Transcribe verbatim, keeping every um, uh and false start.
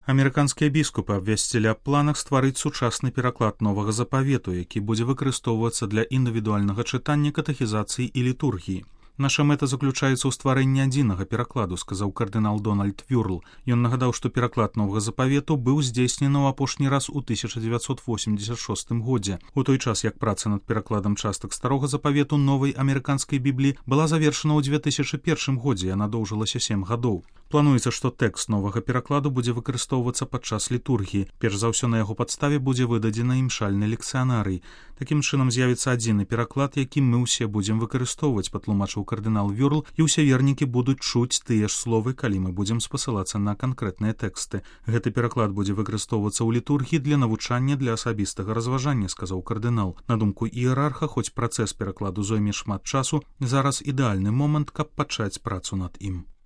Амерыканскія біскупы абвясцілі аб планах стварыць сучасны пераклад новага запавету, які будзе выкарыстоўвацца для індывідуальнага чытання, катэхізацыі і літургіі. Наша мэта заключаецца ў стварэнні адзінага перакладу, сказаў кардынал Дональд Вюрл. Ён нагадаў, што пераклад новага запавету быў здзейснены ў апошні раз у тысяча дзевяцьсот восемьдесят шостым годзе. У той час, як праца над перакладам частак старога запавету новай амерыканскай бібліі была завершана ў дзве тысячы першым годзе, яна доўжылася сем гадоў. Плануецца, што тэкст новага перакладу будзе выкарыстоўвацца падчас літургіі. Перш за ўсё на яго падставе будзе выдадзена імшальны лексіянарый. Такім чынам з'явіцца адзіны пераклад, які мы ўсе будзем выкарыстоўваць, патлумачыў кардынал Вюрл, і ўсе вернікі будуць чуць тыя ж словы, калі мы будзем спасылацца на канкрэтныя тэксты. Гэты пераклад будзе выкарыстоўвацца ў літургіі для навучання для асабістага разважання, сказаў кардынал. На думку іерарха, хоць працэс перакладу зойме шмат часу, зараз ідэальны момант, каб пачаць працу над ім.